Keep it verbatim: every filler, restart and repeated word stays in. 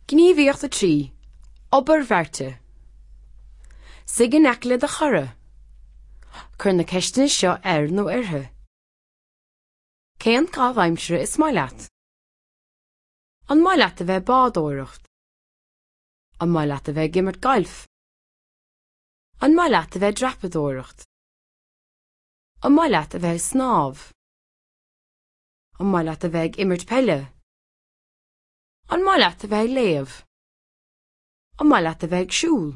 Gníomhaíocht a trí. Obair bheirte. Suigh in aice le do chara. Cuir na ceisteanna seo air nó uirthi. Cén caitheamh aimsire is maith leat? An maith leat a bheith bádóireacht? An maith leat a bheith ag imirt gailf? An maith leat a bheith dreapadóireacht? An maith leat a bheith ag snámh? An maith leat a bheith ag imirt peile? An maith leat a bheith ag léamh? An maith leat a bheith ag siúl?